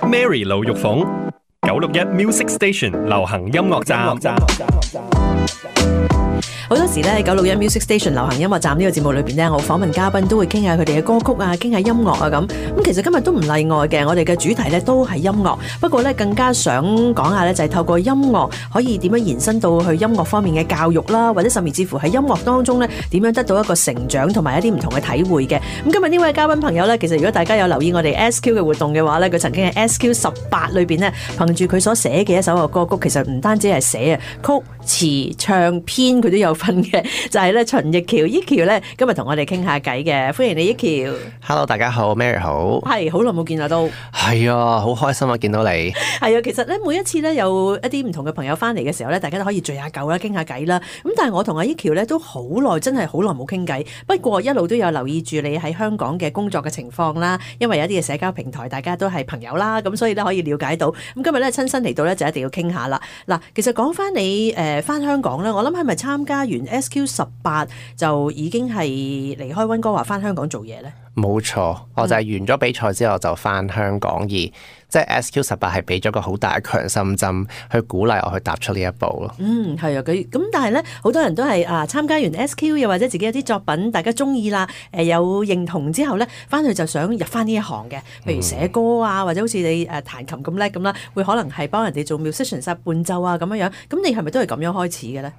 Mary 盧玉鳳961 Music Station 流行音樂站。好多時咧，961 Music Station 流行音樂站呢個節目裏邊咧，我訪問嘉賓都會傾下佢哋嘅歌曲啊，傾下音樂啊咁。咁其實今日都唔例外嘅，我哋嘅主題咧都係音樂。不過咧，更加想講下咧，就係透過音樂可以點樣延伸到去音樂方面嘅教育啦，或者甚至乎喺音樂當中咧點樣得到一個成長同埋一啲唔同嘅體會嘅。咁今日呢位嘉賓朋友咧，其實如果大家有留意我哋 SQ 嘅活動嘅話咧，佢曾經喺 SQ18裏邊咧，憑住佢所寫嘅一首嘅歌曲，其實唔單止係寫啊，曲詞唱編佢都有份嘅，就係咧秦逸喬，Ekiu咧今日同我哋傾下偈嘅，歡迎你Ekiu。Hello， 大家好 ，Mary 好。係好耐冇見啦都。係啊，好開心啊，見到你。係啊，其實咧每一次咧有一啲唔同嘅朋友翻嚟嘅時候咧，大家都可以聚下舊啦，傾下偈啦。咁但係我同阿Ekiu咧都好耐，真係好耐冇傾偈。不過一路都有留意住你喺香港嘅工作嘅情況啦，因為有一啲嘅社交平台大家都係朋友啦，咁所以咧可以了解到。咁今日咧親身嚟到咧就一定要傾下啦。嗱，其實講翻你翻香港咧，我諗係咪參加完 SQ18 就已經係離開溫哥華翻香港做嘢咧？冇錯，我就係完咗比賽之後就翻香港，而即係 SQ18 係俾咗個好大嘅強心針去鼓勵我去踏出呢一步咯。係啊，咁但係咧，好多人都係參加完 SQ 又或者自己有啲作品大家中意啦，有認同之後咧，翻去就想入翻呢一行嘅，譬如寫歌啊，或者好似你彈琴咁叻咁啦，會可能係幫人哋做 musician 伴奏啊咁樣樣。咁你係咪都係咁樣開始嘅咧？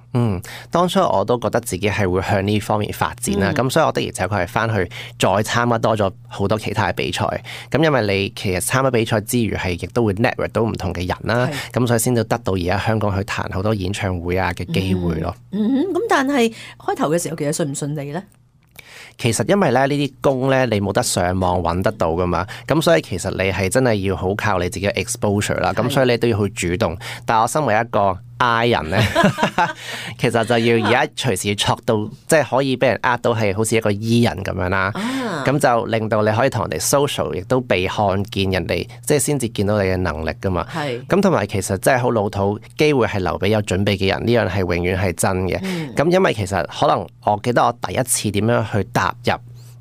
當初我都覺得自己係會向呢方面發展啦，咁所以我的而且確係翻去再參加多咗好多其他嘅比賽。咁因為你其實參加比賽之餘係亦都會 network 到唔同嘅人啦，咁所以先至得到而家香港去彈好多演唱會啊嘅機會咯。咁但係開頭嘅時候其實順唔順利咧？其實因為咧呢啲工咧你冇得上網揾得到噶嘛，咁所以其實你係真係要好靠你自己嘅 exposure 啦，咁所以你都要去主動。但係我身為一個I 人咧，其實就要而家隨時戳到，即係可以俾人呃到係好似一個 E 人咁樣啦。咁就令到你可以同人哋 social， 亦都被看見，人哋即係先至見到你嘅能力噶嘛。咁同埋其實真係好老土，機會係留俾有準備嘅人，呢樣係永遠係真嘅。咁因為其實可能我記得我第一次點樣去踏入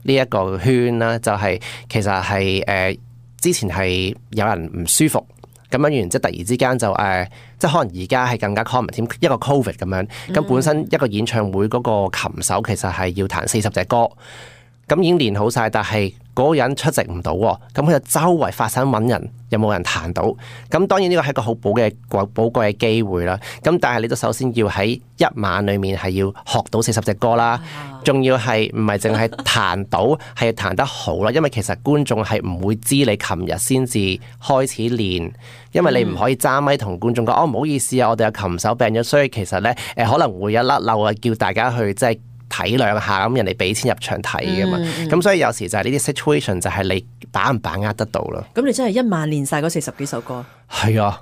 呢一個圈啦，就係其實係之前係有人唔舒服。咁樣完，即係突然之間就即係可能而家係更加 common 添，一個 Covid 咁樣。咁本身一個演唱會嗰個琴手其實係要彈40隻歌，咁已經練好晒，但係嗰個人出席唔到喎，咁佢就周圍發散揾人，有冇人彈到？咁當然呢個係一個好寶貴嘅機會啦。咁但係你都首先要喺一晚裡面係要學到40隻歌啦，仲要係唔係淨係彈到，係要彈得好啦。因為其實觀眾係唔會知你琴日先至開始練，因為你唔可以揸咪同觀眾講唔好意思啊，我哋嘅琴手病咗，所以其實咧可能會有甩漏啊，叫大家去即係體諒下，咁人哋俾錢入場睇㗎嘛，咁所以有時就係呢啲 situation 就係你把唔把握得到咯。咁你真係一晚練晒嗰40幾首歌？係啊，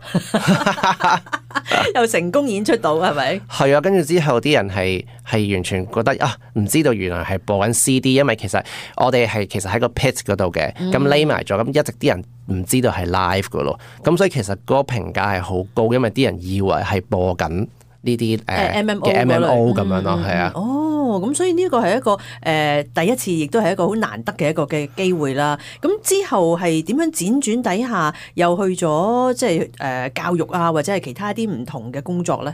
又成功演出到係咪？係啊，跟住之後啲人係完全覺得唔知道原來係播緊 CD， 因為其實我哋係其實喺個 pit 嗰度嘅，咁匿埋咗，咁一直啲人唔知道係 live 噶咯，咁所以其實嗰個評價係好高，因為啲人以為係播緊呢啲MMO 咁樣咯，係啊。咁所以呢個係一個第一次，亦都係一個好難得嘅一個嘅機會啦。咁之後係點樣輾轉底下又去咗即係教育啊，或者係其他啲唔同嘅工作咧？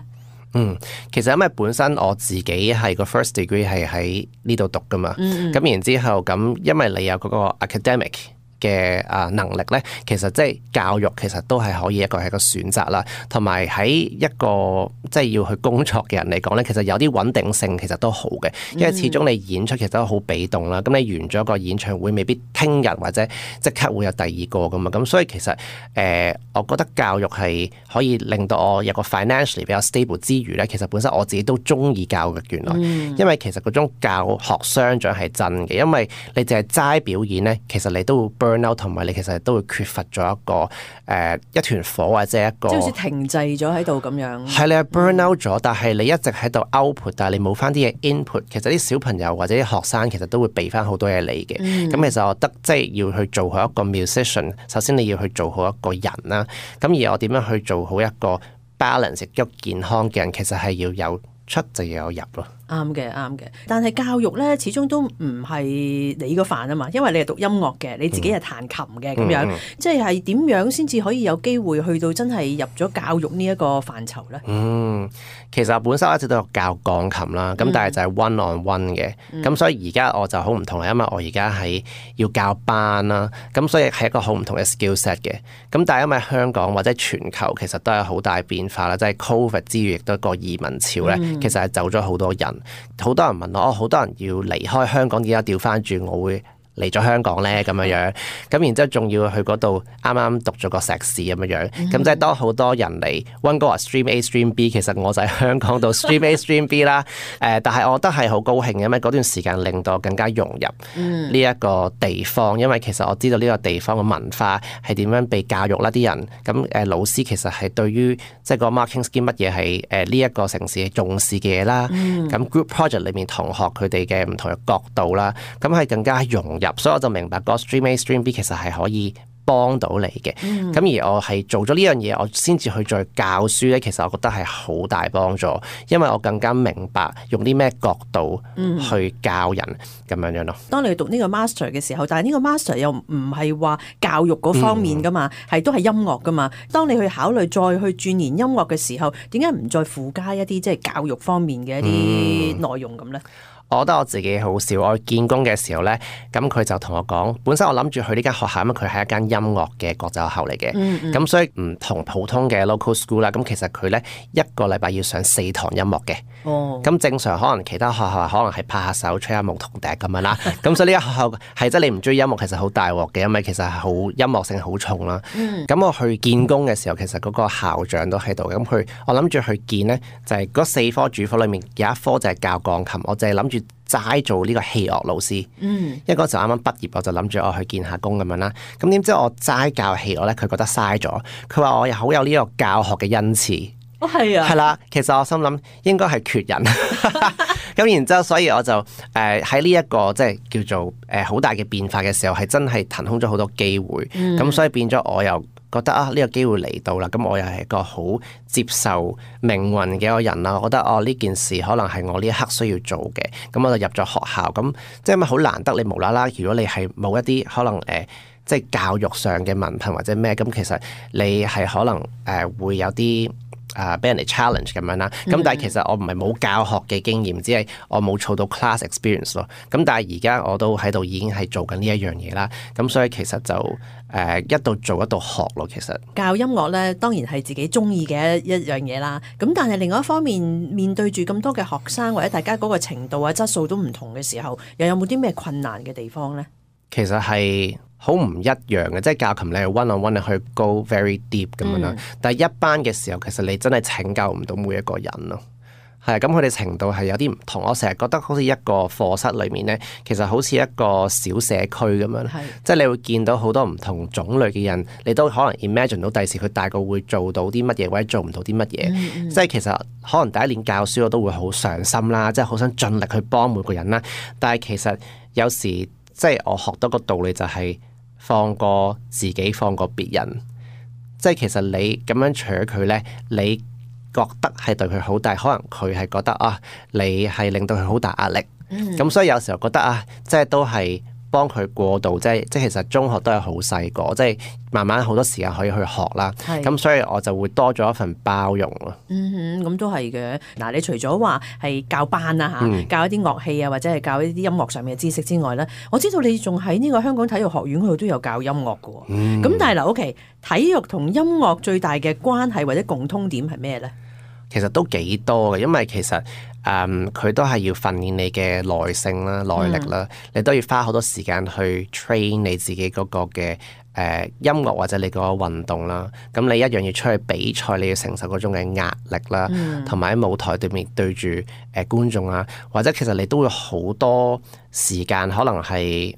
其實因為本身我自己係個 first degree 係喺呢度讀噶嘛，咁然之後咁因為你有嗰個 academic嘅能力咧，其實即係教育其實都係可以一個選擇啦。同埋喺一個即係要去工作嘅人嚟講咧，其實有啲穩定性其實都好嘅，因為始終你演出其實都好被動啦。咁你完咗個演唱會，未必聽日或者即刻會有第二個噶嘛。咁所以其實我覺得教育係可以令到我有個 financially 比較 stable 之餘咧，其實本身我自己都中意教育原來，因為其實嗰種教學相長係真嘅，因為你淨係齋表演咧，其實你都會同埋你其實都會缺乏咗一個一團火或者一個即係好似停滯咗喺度咁樣。係你係 burn out 咗，但係你一直喺度 output， 但係你冇翻啲嘢 input。其實啲小朋友或者啲學生其實都會俾翻好多嘢你嘅。咁其實我覺得即係要去做好一個 musician， 首先你要去做好一個人啦。咁而我點樣去做好一個 balance 一個健康嘅人，其實係要有出就要有入咯。啱嘅，啱嘅。但係教育咧，始終都唔係你個範啊嘛，因為你係讀音樂嘅，你自己係彈琴嘅咁樣，即係點樣先至可以有機會去到真係入咗教育呢一個範疇咧？其實我本身一直都有教鋼琴啦，咁但係就係 one on one 嘅，咁所以而家我就好唔同啦，因為我而家係要教班啦，咁所以係一個好唔同嘅 skill set 嘅。咁但係因為香港或者全球其實都有好大變化啦，即係 COVID 之餘亦都個移民潮咧，其實係走咗好多人，好多人問我，好多人要離開香港，點解調翻轉我會嚟咗香港咧咁樣，咁然之後仲要去嗰度啱啱讀咗個碩士咁樣，咁即係當好多人嚟溫哥華 Stream A Stream B， 其實我就喺香港度 Stream A Stream B 啦。但係我覺得係好高興嘅，因為嗰段時間令到我更加融入呢一個地方，因為其實我知道呢個地方嘅文化係點樣被教育啦，啲人咁老師其實係對於即係個 marking scheme 乜嘢係呢一個城市重視嘅嘢啦。咁 group project 裏面同學佢哋嘅唔同嘅角度啦，咁係更加融入，所以我就明白個 Stream A Stream B 其實係可以幫到你嘅。咁而我係做咗呢樣嘢，我先至去再教書咧，其實我覺得係好大幫助，因為我更加明白用啲咩角度去教人咁樣咯。當你去讀呢個 master 嘅時候，但係呢個 master 又唔係話教育嗰方面噶嘛，係都係音樂噶嘛。當你去考慮再去鑽研音樂嘅時候，點解唔再附加一啲即係教育方面嘅一啲內容咁咧？我覺得我自己好笑，我見工嘅時候咧，咁佢就同我講，本身我諗住去呢間學校，因為佢係一間音樂嘅國際學校嚟嘅，咁所以唔同普通嘅 local school 啦，咁其實佢咧一個禮拜要上4堂音樂嘅，咁正常可能其他學校可能係拍下手吹下牧童笛咁樣啦，咁所以呢間學校係即係你唔中意音樂，其實好大鑊嘅，因為其實係好音樂性好重啦。咁我去見工嘅時候，其實嗰個校長都喺度，咁我諗住去見咧，就係嗰4科主科裏面有一科就係教鋼琴，我就係諗住齋做呢個器樂老師，因為嗰時候啱啱畢業，我就諗住我去見下工咁樣啦。咁點知我齋教器樂咧，佢覺得嘥咗。佢話我又好有呢個教學嘅恩賜。係啊，係啦。其實我心諗應該係缺人。咁然之後，所以我就喺呢一個即係叫做好大嘅變化嘅時候，係真係騰空咗好多機會。咁所以變咗我又覺得呢個機會嚟到啦，咁我又係一個好接受命運嘅一個人啦。我覺得呢件事可能係我呢一刻需要做嘅，咁我就入咗學校。咁即係咪好難得你無啦啦？如果你係冇一啲可能即係教育上嘅文憑或者咩，咁其實你係可能會有啲俾人哋 challenge 咁樣啦。咁但係其實我唔係冇教學嘅經驗，只係我冇儲到 class experience 咯。咁但係而家我都喺度已經係做緊呢一樣嘢啦。咁所以其實就一度做一度學咯。其實教音樂咧，當然係自己中意嘅一樣嘢啦。咁但係另外一方面，面對住咁多嘅學生或者大家嗰個程度啊質素都唔同嘅時候，又有冇啲咩困難嘅地方咧？其實係好唔一樣嘅，即係教琴你係 one on one 你去 go very deep 咁樣啦。但係一班嘅時候，其實你真係拯救唔到每一個人咯。係咁佢哋程度係有啲唔同。我成日覺得好似一個課室裏面咧，其實好似一個小社區咁樣，即係你會見到好多唔同種類嘅人，你都可能 imagine 到第時佢大個會做到啲乜嘢，或者做唔到啲乜嘢。即係其實可能第一年教書我都會好上心啦，即係好想盡力去幫每個人啦。但係其實有時即係我學到個道理就係放過自己，放過別人。即係其實你咁樣取佢咧，你覺得係對佢好，但係可能佢係覺得你係令到佢好大壓力。咁所以有時候覺得即係都係幫佢過渡，即係其實中學都係好細個，即係慢慢好多時間可以去學啦。咁所以我就會多咗一份包容咯。咁都係嘅。嗱，你除咗話係教班啊教一啲樂器啊，或者係教一啲音樂上面嘅知識之外咧，我知道你仲喺呢個香港體育學院嗰度都有教音樂嘅。咁但係嗱，OK，體育同音樂最大嘅關係或者共通點係咩咧？其實都幾多嘅，因為其實佢都係要訓練你嘅耐性啦、耐力啦，你都要花好多時間去 train 你自己嗰個嘅音樂或者你個運動啦。咁你一樣要出去比賽，你要承受嗰種嘅壓力啦，同埋喺舞台對面對住觀眾啊，或者其實你都會好多時間，可能係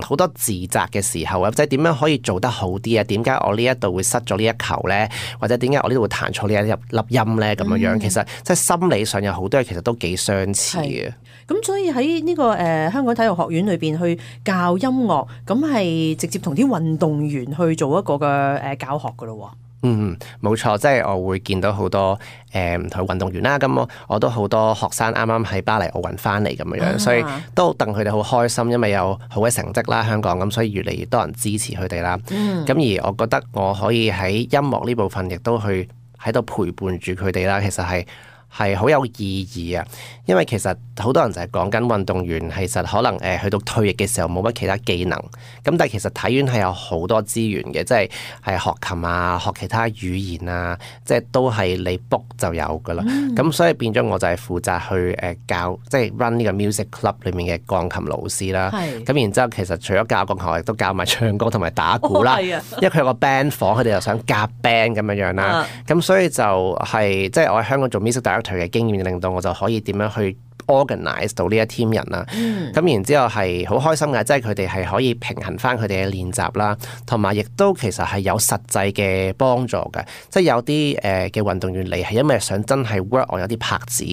好多自責嘅時候啊，即係點樣可以做得好啲啊？點解我呢一度會失咗呢一球咧？或者點解我呢度會彈錯呢一粒音咧？咁樣其實即係心理上有好多嘢，其實都幾相似嘅。咁所以喺呢個香港體育學院裏邊去教音樂，咁係直接同啲運動員去做一個嘅教學噶咯。冇錯，即係我會見到好多唔同嘅運動員啦。咁我都好多學生啱啱喺巴黎奧運翻嚟咁樣，所以都戥佢哋好開心，因為有好嘅成績啦，香港咁，所以越嚟越多人支持佢哋啦。咁而我覺得我可以喺音樂呢部分亦都去喺度陪伴住佢哋啦，其實係好有意義啊！因為其實好多人就係講緊運動員，其實可能去到退役嘅時候冇乜其他技能，咁但係其實體院係有好多資源嘅，即係學琴啊、學其他語言啊，即係都係你 book 就有噶啦。咁所以變咗我就係負責去教，即係 run 呢個 music club 裏面嘅鋼琴老師啦。咁然之後其實除咗教鋼琴，我亦都教埋唱歌同埋打鼓啦。因為佢有個 band 房，佢哋又想夾 band 咁樣啦。咁所以就係即係我喺香港做 music director嘅經驗，令到我就可以點樣去 organize 到呢一 team 人啦。咁然之後係好開心嘅，即係佢哋係可以平衡翻佢哋嘅練習啦，同埋亦都其實係有實際嘅幫助嘅。即係有啲嘅運動員嚟係因為想真係 work on 有啲拍子，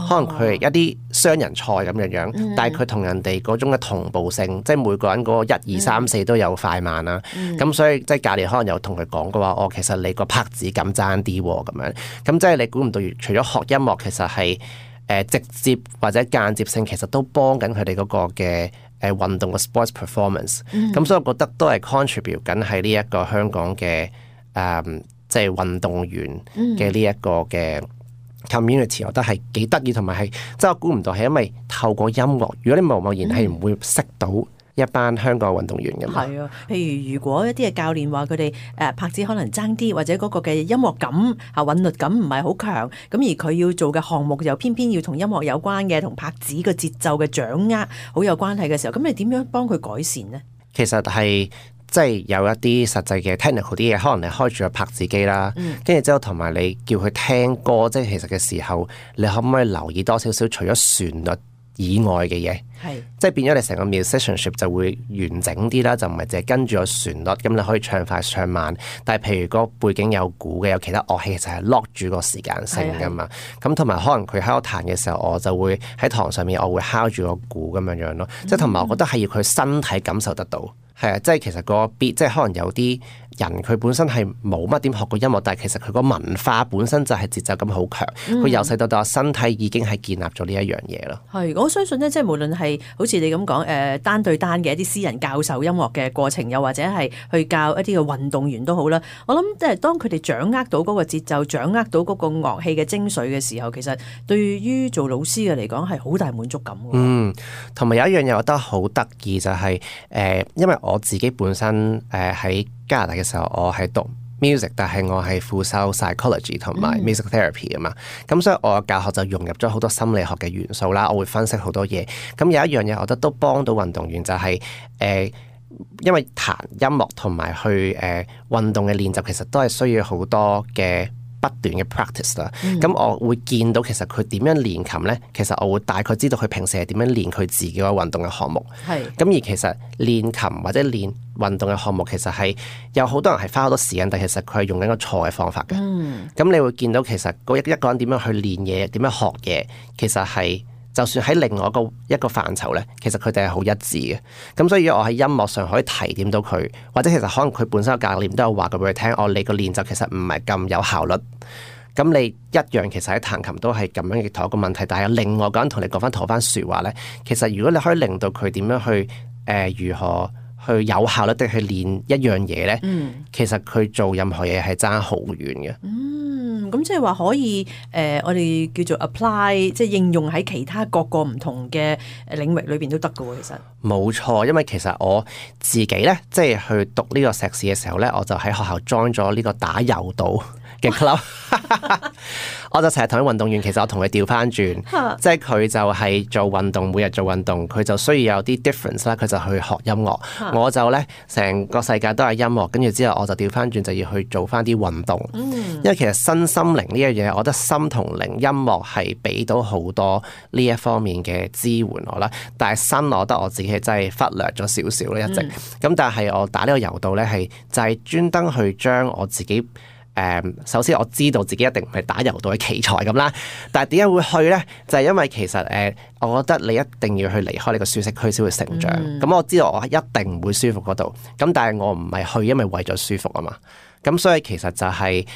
可能佢係一啲雙人賽咁樣，但係佢同人哋嗰種嘅同步性，即係每個人嗰個1、2、3、4都有快慢啦。咁所以即係教練可能有同佢講過話，其實你個拍子咁爭啲喎咁樣。咁即係你估唔到，除咗學音樂，其實係直接或者間接性，其實都幫緊佢哋嗰個嘅運動嘅 sports performance。咁所以我覺得都係 contribute 緊喺呢一個香港嘅即係運動員嘅呢一個嘅 community，我覺得係幾得意，同埋係即係我估唔到係因為透過音樂，如果你貿然係唔會識到一班香港運動員嘅嘛。係啊，譬如如果一啲嘅教練話佢哋拍子可能爭啲，或者嗰個嘅音樂感韻律感唔係好強，咁而佢要做嘅項目又偏偏要同音樂有關嘅，同拍子嘅節奏嘅掌握好有關係嘅時候，咁你點樣幫佢改善呢？其實係即係有一啲實際嘅 technical 啲嘢，可能你開住個拍子機啦，跟住之後同埋你叫佢聽歌，即係其實嘅時候，你可唔可以留意多少少除咗旋律以外嘅嘢？即係變咗你成個 musicianship 就會完整啲啦，就唔係淨係跟住個旋律，咁你可以唱快唱慢。但係譬如個背景有鼓嘅，有其他樂器，其實係 lock 住個時間性噶嘛。咁同埋可能佢喺度彈嘅時候，我就會喺堂上面我會敲住個鼓咁樣咯。即係同埋我覺得係要佢身體感受得到。係啊，即係其實個 beat，即係可能有啲人佢本身係冇乜點學過音樂，但係其實佢個文化本身就係節奏感好強。佢由細到大身體已經係建立咗呢一樣嘢咯。係，我相信咧，即係無論係好似你咁講單對單嘅一啲私人教授音樂嘅過程，又或者係去教一啲嘅運動員都好啦。我諗即係當佢哋掌握到嗰個節奏，掌握到嗰個樂器嘅精髓嘅時候，其實對於做老師嘅嚟講係好大滿足感嘅。同埋有一樣嘢我覺得好得意就係因為我自己本身喺加拿大嘅時候，我係讀 music， 但係我係副修 psychology 同埋 music therapy 啊嘛。咁所以我嘅教學就融入咗好多心理學嘅元素啦。我會分析好多嘢。咁有一樣嘢，我覺得都幫到運動員就係因為彈音樂同埋去運動嘅練習，其實都係需要好多嘅不斷嘅 practice 啦。咁我會見到其實佢點樣練琴呢？其實我會大概知道佢平時係點樣練佢自己個運動嘅項目。咁而其實練琴或者練運動嘅項目，其實係有好多人係花好多時間，但其實佢係用緊個錯嘅方法嘅。咁你會見到其實一個人點樣去練嘢，點樣學嘢，其實係就算喺另外一個範疇咧，其實佢哋係好一致嘅。咁所以我喺音樂上可以提點到佢，或者其實可能佢本身嘅教練都有話過俾佢聽，你個練習其實唔係咁有效率。咁你一樣其實喺彈琴都係咁樣嘅同一個問題，但係有另外一個人同你講翻同番説話咧，其實如果你可以令到佢點樣去如何去有效率地去練一樣嘢咧，其實佢做任何嘢係爭好遠嘅。咁即係話可以我哋叫做 apply， 即係應用喺其他各個唔同嘅領域裏邊都得㗎喎。其實冇錯，因為其實我自己咧，即係去讀呢個碩士嘅時候咧，我就喺學校 join 咗呢個打柔道嘅 club。我就成日同啲運動員，其實我同佢調翻轉，即係佢就係做運動，每日做運動，佢就需要有啲 difference 啦，佢就去學音樂。我就咧成個世界都係音樂，跟住之後我就調翻轉就要去做翻啲運動。因為其實身心靈呢樣嘢，我覺得心同靈音樂係俾到好多呢一方面嘅支援我啦。但係身我覺得我自己係真係忽略咗少少啦，一直。咁但係我打呢個柔道咧，係就係專登去將我自己首先我知道自己一定唔係打柔道嘅奇才咁啦，但係點解會去呢？就係因為其實我覺得你一定要去離開呢個舒適區先會成長。咁我知道我一定唔會舒服嗰度，咁但係我唔係去因為為咗舒服啊嘛。咁所以其實就係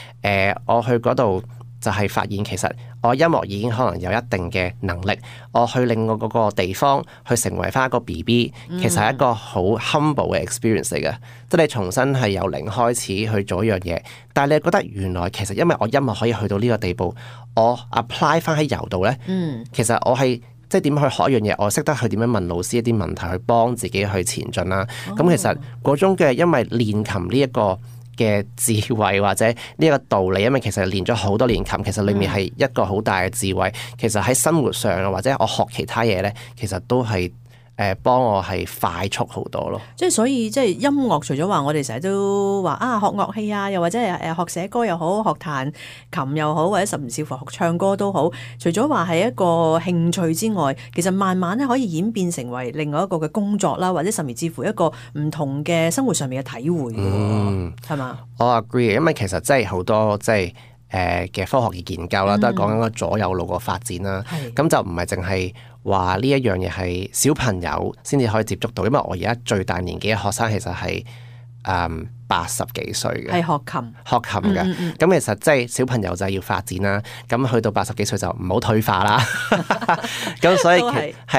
我去嗰度就係發現其實我音樂已經可能有一定嘅能力，我去令我嗰個地方去成為翻一個 BB， 其實係一個好 humble 嘅 experience 嚟嘅，即係你重新係由零開始去做一樣嘢，但係你覺得原來其實因為我音樂可以去到呢個地步，我 apply 翻喺柔道咧，其實我係即係點去學一樣嘢，我識得去點樣問老師一啲問題去幫自己去前進啦。咁其實嗰種嘅因為練琴呢一個嘅智慧或者呢一個道理，因為其實練咗好多年琴，其實裡面係一個好大嘅智慧。其實喺生活上啊，或者我學其他嘢咧，其實都係幫我係快速好多咯。即係所以即係音樂，除咗話我哋成日都話啊學樂器啊，又或者係學寫歌又好，學彈琴又好，或者甚至乎學唱歌都好。除咗話係一個興趣之外，其實慢慢咧可以演變成為另外一個嘅工作啦，或者甚至乎一個唔同嘅生活上面嘅體會嘅，係嘛？我 agree， 因為其實真係好多即係嘅科學嘅研究啦，都係講緊個左右腦個發展啦。咁就唔係淨係話呢一樣嘢係小朋友先至可以接觸到，因為我而家最大年紀嘅學生其實係80幾歲嘅，係學琴嘅。咁其實即係小朋友就係要發展啦。咁去到80幾歲就唔好退化啦。咁所以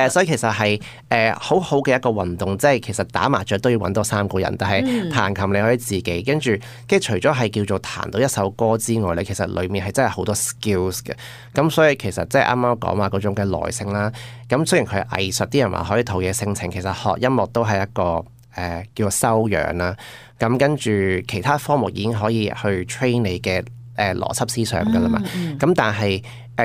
所以其實係好好嘅一個運動。即係其實打麻雀都要揾多3個人，但係彈琴你可以自己跟住除咗係叫做彈到一首歌之外咧，其實裡面係真係好多 skills 嘅。咁所以其實即係啱啱講話嗰種嘅耐性啦。咁雖然佢係藝術，啲人話可以陶冶性情，其實學音樂都係一個叫做修養啦。咁跟住其他科目已經可以去 train 你嘅邏輯思想噶啦嘛。咁但係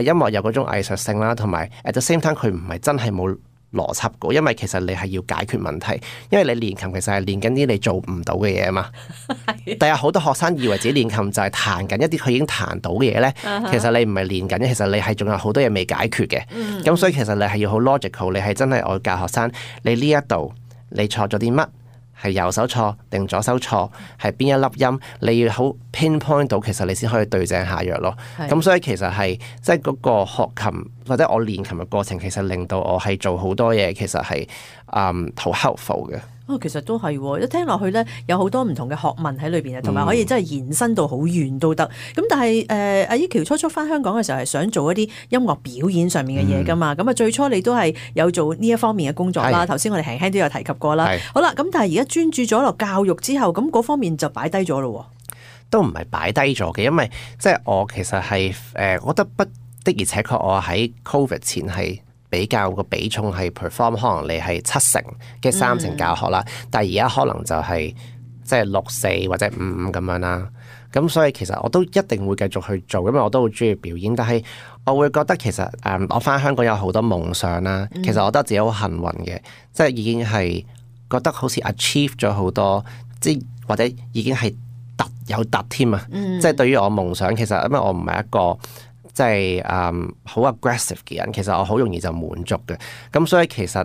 音樂有嗰種藝術性啦，同埋at the same time 佢唔係真係冇邏輯嘅，因為其實你係要解決問題，因為你練琴其實係練緊啲你做唔到嘅嘢啊嘛。但係好多學生以為自己練琴就係彈緊一啲佢已經彈到嘅嘢咧，其實你唔係練緊，其實你係仲有好多嘢未解決嘅。咁所以其實你係要好 logical， 你係真係我教學生，你呢一度你錯咗啲乜？係右手錯定左手錯，係邊一粒音，你要好 pinpoint 到，其實你先可以對症下藥咯。咁所以其實係即係嗰個學琴或者我練琴嘅過程，其實令到我係做好多嘢，其實係好 helpful 嘅。其實都係，一聽落去咧，有好多唔同嘅學問喺裏邊啊，同埋可以真係延伸到好遠都得。咁但係阿依喬初初翻香港嘅時候係想做一啲音樂表演上面嘅嘢噶嘛。咁最初你都係有做呢一方面嘅工作啦。頭先我哋輕輕都有提及過啦。好啦，咁但係而家專注咗落教育之後，咁嗰方面就擺低咗咯。都唔係擺低咗嘅，因為即係我其實係我覺得的而且確我喺 Covid 前係比較個比重係 perform， 可能你係7成嘅3成教學啦，但係而家可能就係即係6-4或者5-5咁樣啦。咁所以其實我都一定會繼續去做，因為我都好中意表演。但係我會覺得其實我翻香港有好多夢想啦。其實我覺得自己好幸運嘅，即係已經係覺得好似 achieve 咗好多，即係或者已經係有突添啊。即係對於我夢想，其實因為我唔係一個即係好 aggressive 嘅人，其實我好容易就滿足嘅。咁所以其實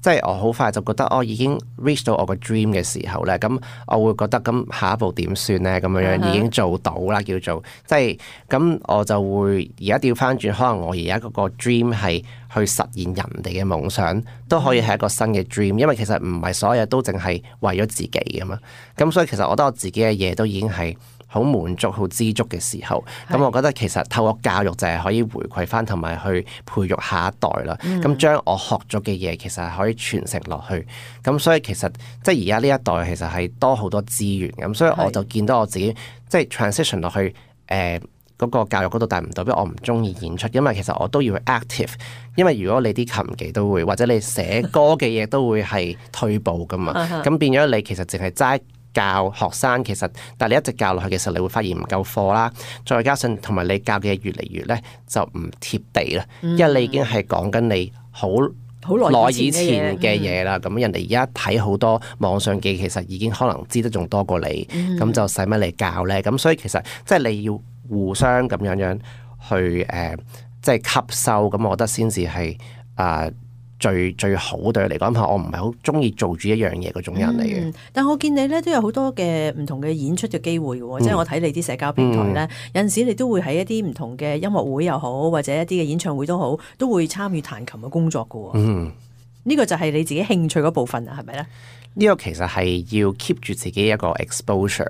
即係我好快就覺得我已經 reach 到我個 dream 嘅時候咧，咁我會覺得咁下一步點算咧？咁樣樣已經做到啦，叫做即係咁我就會而家調翻轉，可能我而家嗰個 dream 係去實現人哋嘅夢想，都可以係一個新嘅 dream， 因為其實唔係所有嘢都淨係為咗自己噶嘛。咁所以其實我覺得我自己嘅嘢都已經係好滿足、好知足嘅時候，咁我覺得其實透過教育就係可以回饋翻，同埋去培育下一代啦。咁將我學咗嘅嘢，其實係可以傳承落去。咁所以其實即係而家呢一代其實係多好多資源咁，所以我就見到我自己即係 transition 落去嗰個教育嗰度，但係唔代表我唔中意演出，因為其實我都要去 active。因為如果你啲琴技都會，或者你寫歌嘅嘢都會係退步噶嘛，咁變咗你其實淨係齋教學生，其實但係你一直教落去嘅時候，你會發現唔夠課啦，再加上同埋你教嘅嘢越嚟越咧就唔貼地啦，因為你已經係講緊你好耐以前嘅嘢啦，咁人哋而家睇好多網上嘅，其實已經可能知得仲多過你，咁就使乜你教咧？咁所以其實即係你要互相咁樣去即係吸收，咁我覺得先至係最好對佢嚟講，我唔係好中意做住一樣嘢嗰種人嚟嘅。但我見你咧都有好多嘅唔同嘅演出嘅機會嘅喎，即係我睇你啲社交平台咧，有陣時你都會喺一啲唔同嘅音樂會又好，或者一啲嘅演唱會都好，都會參與彈琴嘅工作嘅喎。呢個就係你自己興趣嗰部分啊，係咪咧？呢個其實係要 keep 住自己一個 exposure，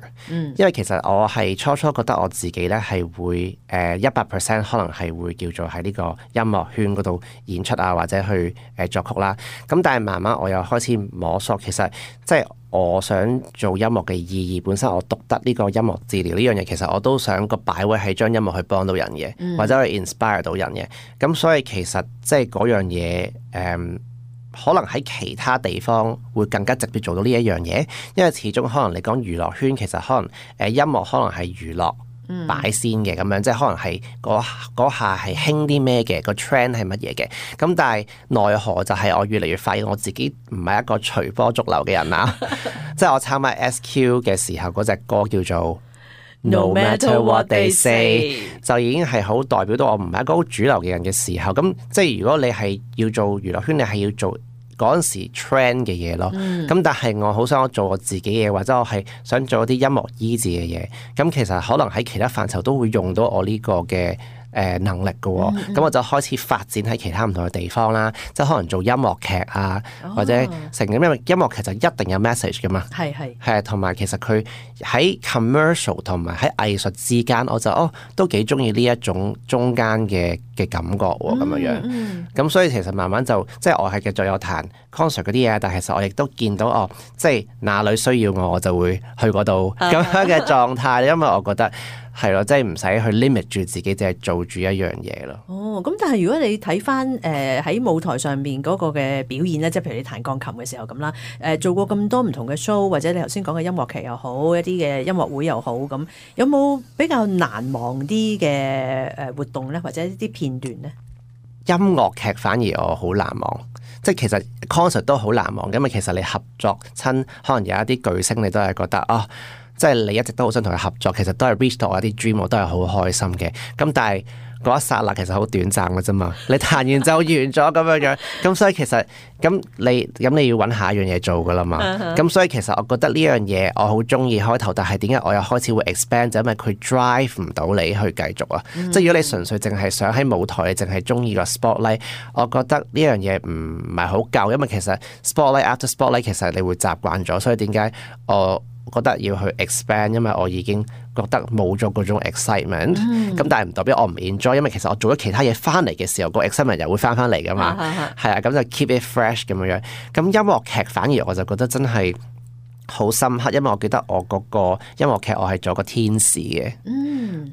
因為其實我係初初覺得我自己咧係會100% 可能係會叫做喺呢個音樂圈嗰度演出啊，或者去作曲啦。咁但係慢慢我又開始摸索，其實即係我想做音樂嘅意義本身，我讀得呢個音樂治療呢樣嘢，其實我都想個擺位係將音樂去幫到人嘅，或者去 inspire 到人嘅。咁所以其實即係嗰樣嘢可能喺其他地方會更加直接做到呢一樣嘢，因為始終可能你講娛樂圈，其實可能音樂可能係娛樂擺先嘅咁樣，即係可能係嗰下係興啲咩嘅，個 trend 係乜嘢嘅。咁但係奈何就係我越嚟越發現我自己唔係一個隨波逐流嘅人啦。即係我參加 SQ 嘅時候嗰隻歌叫做No matter what they say， 就已經係好代表到我唔係一個好主流嘅人嘅時候，咁即係如果你係要做娛樂圈，你係要做嗰陣時 trend 嘅嘢咯。咁但係我好想我做我自己嘢，或者我係想做一啲音樂醫治嘅嘢。咁其實可能喺其他範疇都會用到我呢個嘅能力嘅喎，咁我就開始發展喺其他唔同嘅地方啦，即係可能做音樂劇啊，或者成咁，因為音樂劇就一定有 message 噶嘛，係同埋其實佢喺 commercial 同埋喺藝術之間，我就都幾中意呢一種中間嘅感覺喎，咁樣，咁所以其實慢慢就即係我係繼續有彈 concert 嗰啲嘢，但係其實我亦都見到即係哪裏需要我就會去嗰度咁樣嘅狀態，因為我覺得。係咯，即係唔使去 limit 住自己，淨係做住一樣嘢咯。咁但係如果你睇翻喺舞台上面嗰個嘅表演咧，即係譬如你彈鋼琴嘅時候咁啦，做過咁多唔同嘅 show，或者你頭先講嘅音樂劇又好，一啲嘅音樂會又好，咁有冇比較難忘啲嘅活動咧，或者一啲片段咧？音樂劇反而我好難忘，即係其實 concert 都好難忘，因為其實你合作親，可能有一啲巨星，你都係覺得即係你一直都好想同佢合作，其實都係 reach 到我啲 dream， 我都係好開心嘅。咁但係嗰一剎那其實好短暫嘅啫嘛，你彈完就完咗咁樣樣。咁所以其實咁你要揾下一樣嘢做噶啦嘛。咁所以其實我覺得呢樣嘢我好中意開頭，但係點解我又開始會 expand？就因為佢 drive 唔到你去繼續啊。即係如果你純粹淨係想喺舞台，你淨係中意個 spotlight， 我覺得呢樣嘢唔係好夠，因為其實 spotlight after spotlight 其實你會習慣咗，所以點解我覺得要去 expand， 因為我已經覺得冇咗嗰種 excitement，咁但係唔代表我唔 enjoy， 因為其實我做咗其他嘢翻嚟嘅時候，個 excitement 又會翻嚟噶嘛，係啊，咁就 keep it fresh 咁樣樣。咁音樂劇反而我就覺得真係好深刻，因為我記得我嗰個音樂劇我係做個天使嘅，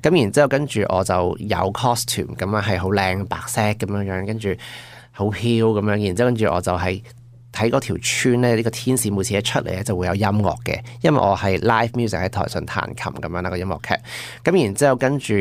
咁然之後跟住我就有 costume 咁樣係好靚白色咁樣樣，跟住好飄咁樣，然之後跟住我就係睇嗰條村咧，呢個天使每次一出嚟咧就會有音樂嘅，因為我係 live music 喺台上彈琴咁樣啦，個音樂劇。咁然之後跟住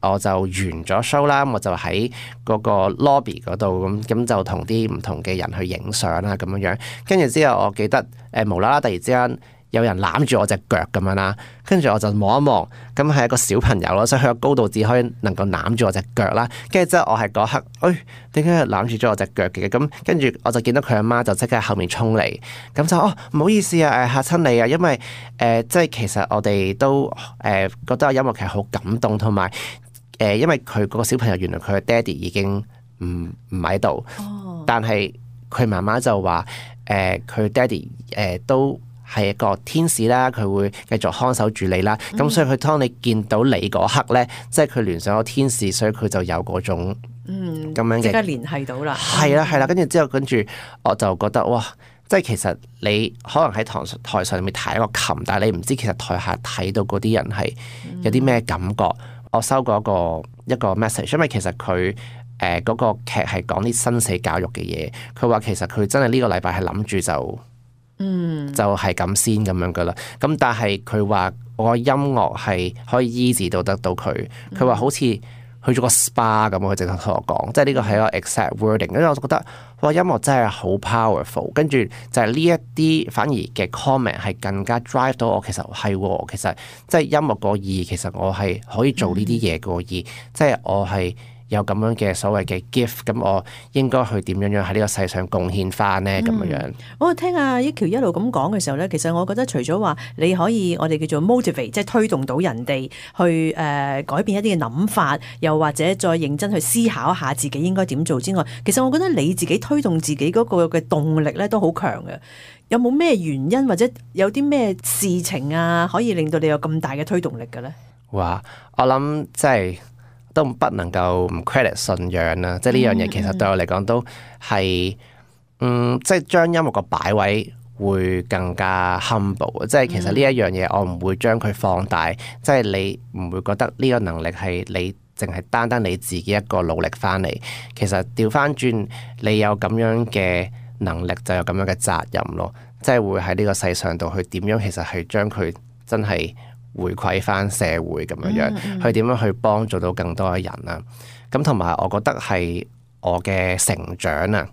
我就完咗 show 啦，我就喺嗰個 lobby 嗰度咁就同啲唔同嘅人去影相啦咁樣樣。跟住之後我記得無啦啦突然之間有人攬住我隻腳咁樣啦，跟住我就望一望，咁係一個小朋友咯，所以佢個高度只可以能夠攬住我隻腳啦。跟住之後我係嗰刻，點解攬住咗我隻腳嘅？咁跟住我就見到佢阿媽就即刻喺後面衝嚟，咁就唔好意思啊，嚇親你啊，因為即係其實我哋都覺得音樂劇好感動，同埋因為佢嗰個小朋友原來佢嘅爹哋已經唔喺度，但係佢媽媽就話佢爹哋都係一個天使啦，佢會繼續看守住你啦。咁所以佢當你見到你嗰刻咧，即係佢聯想咗天使，所以佢就有嗰種咁樣嘅即刻聯繫到啦。係啦，跟住之後跟住我就覺得哇！即係其實你可能喺台上面彈一個琴，但係你唔知其實台下睇到嗰啲人係有啲咩感覺。我收過一個 message， 因為其實佢嗰個劇係講啲生死教育嘅嘢。佢話其實佢真係呢個禮拜係諗住就係咁先咁樣噶啦。咁但係佢話我音樂係可以醫治到得到佢。佢話好似去咗個 SPA 咁，佢直頭同我講，即係呢個係一個 exact wording。跟住我就覺得哇，音樂真係好 powerful。跟住就係呢一啲反而嘅 comment 係更加 drive 到我。其實其實即係音樂個意義，其實我係可以做呢啲嘢個意義，即係我係有咁樣嘅所謂嘅 gift， 咁我應該去點樣喺呢個世上貢獻翻呢？咁樣。我聽阿益僑一路咁講嘅時候咧，其實我覺得除咗話你可以我哋叫做 motivate， 即係推動到人哋去改變一啲嘅諗法，又或者再認真去思考下自己應該點做之外，其實我覺得你自己推動自己嗰個嘅動力咧都好強嘅。有冇咩原因或者有啲咩事情啊，可以令到你有咁大嘅推動力嘅咧？哇！我諗即係都不能夠唔 credit 信仰啦，即係呢樣嘢其實對我嚟講都係即係將音樂個擺位會更加 humble， 即係其實呢一樣嘢我唔會將佢放大，即係你唔會覺得呢個能力係你淨係單單你自己一個努力翻嚟，其實調翻轉你有咁樣嘅能力就有咁樣嘅責任咯，即係會喺呢個世上度去點樣其實係將佢真係回饋翻社會咁樣樣，去點樣去幫助到更多嘅人啦。咁同埋我覺得係我嘅成長啊，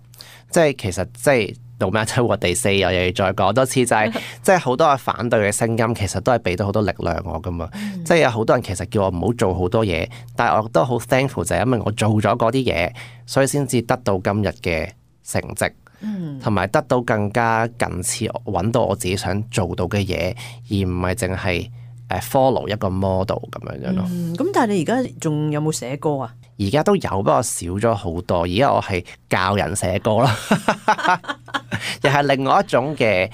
即係其實即係 no matter what they say，我又要再講多次就係即係好多嘅反對嘅聲音，其實都係俾到好多力量我噶嘛。即係有好多人其實叫我唔好做好多嘢，但係我都好 thankful 就係因為我做咗嗰啲嘢，所以先至得到今日嘅成績。同埋得到更加近似揾到我自己想做到嘅嘢，而唔係淨係follow 一個 model 咁樣樣咯。咁但係你而家仲有冇寫歌啊？而家都有，不過少咗好多。而家我係教人寫歌咯，又係另外一種嘅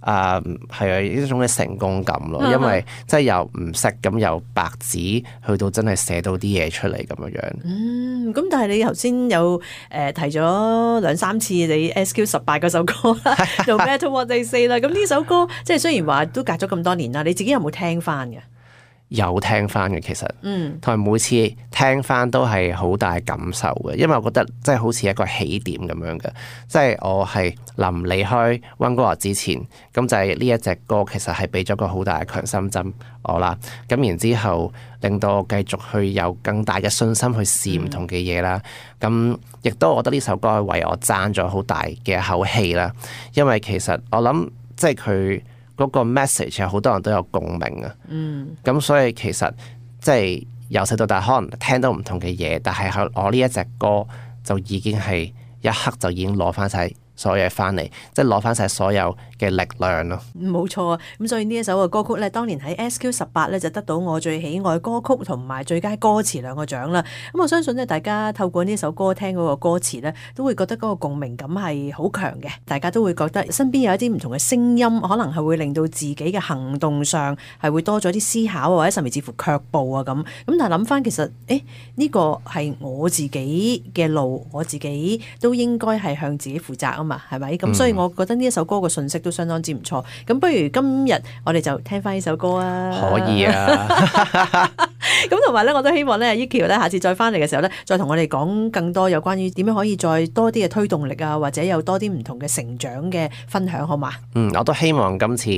係一種嘅成功感咯。因為即係由唔識咁由白紙去到真係寫到啲嘢出嚟咁樣樣。咁但係你頭先有提咗2-3次你 SQ18 嗰首歌啦，No Matter What They Say 啦。咁呢首歌即係雖然話都隔咗咁多年啦，你自己有冇聽翻嘅？有聽翻嘅其實，同埋每次聽翻都係好大感受嘅，因為我覺得即係好似一個起點咁樣嘅，即係我係臨離開溫哥華之前，咁就係呢一隻歌其實係俾咗個好大嘅強心針我啦，咁然之後令到我繼續去有更大嘅信心去試唔同嘅嘢啦，咁亦都我覺得呢首歌係為我爭咗好大嘅一口氣啦，因為其實我諗即係佢嗰個 message 有好多人都有共鳴啊，咁所以其實即係由細到大可能聽到唔同嘅嘢，但係我呢一隻歌就已經係一刻就已經攞翻晒所有嘢翻嚟，即係攞翻晒所有嘅力量咯。冇錯啊！咁所以呢一首嘅歌曲咧，當年喺 SQ18 咧就得到我最喜愛歌曲同埋最佳歌詞2個獎啦。咁我相信咧，大家透過呢首歌聽嗰個歌詞咧，都會覺得嗰個共鳴感係好強嘅。大家都會覺得身邊有一啲唔同嘅聲音，可能係會令到自己嘅行動上係會多咗啲思考，或者甚至乎卻步啊咁。咁但係諗翻其實，呢個係我自己嘅路，我自己都應該係向自己負責啊嘛，係咪？咁所以我覺得呢一首歌嘅信息都相當之唔錯。咁不如今日我哋就聽翻呢首歌啊！可以啊！咁同埋咧，我都希望咧，益僑咧下次再翻嚟嘅時候咧，再同我哋講更多有關於點樣可以再多啲嘅推動力啊，或者有多啲唔同嘅成長嘅分享，好嘛？我都希望今次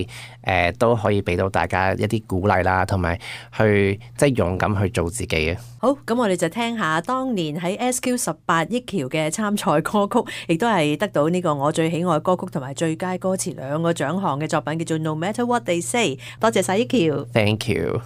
都可以俾到大家一啲鼓勵啦，同埋去即係勇敢去做自己啊！好，咁我哋就聽下當年喺 SQ18 益僑嘅參賽歌曲，亦都係得到呢個我最喜愛歌曲同埋最佳歌詞2個獎項嘅作品，叫做 No Matter What They Say。多謝晒益僑 ，Thank you。